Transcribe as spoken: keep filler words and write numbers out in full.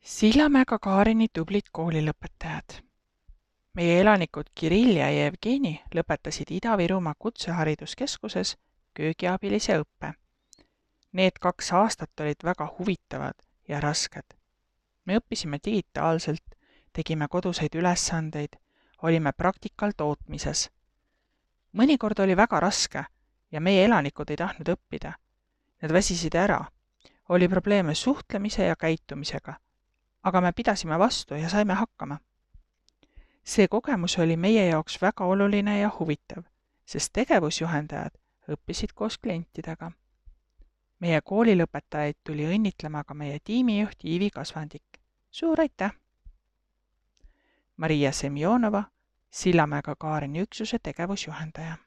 Sillamäega Kaarini tublid koolilõpetajad. Meie elanikud Kirill ja Jevgeni lõpetasid Ida-Virumaa Kutsehariduskeskuses köögiabilise õppe. Need kaks aastat olid väga huvitavad ja rasked. Me õppisime digitaalselt, tegime koduseid ülesandeid, olime praktikal tootmises. Mõnikord oli väga raske ja meie elanikud ei tahtnud õppida. Nad väsisid ära. Oli probleeme suhtlemise ja käitumisega, aga me pidasime vastu ja saime hakkama. See kogemus oli meie jaoks väga oluline ja huvitav, sest tegevusjuhendajad õppisid koos klientidega. Meie koolilõpetajaid tuli õnnitlema ka meie tiimijuht Iivi Kasvandik. Suur aitäh! Maria Semjonova, Sillamäega Kaarini üksuse tegevusjuhendaja.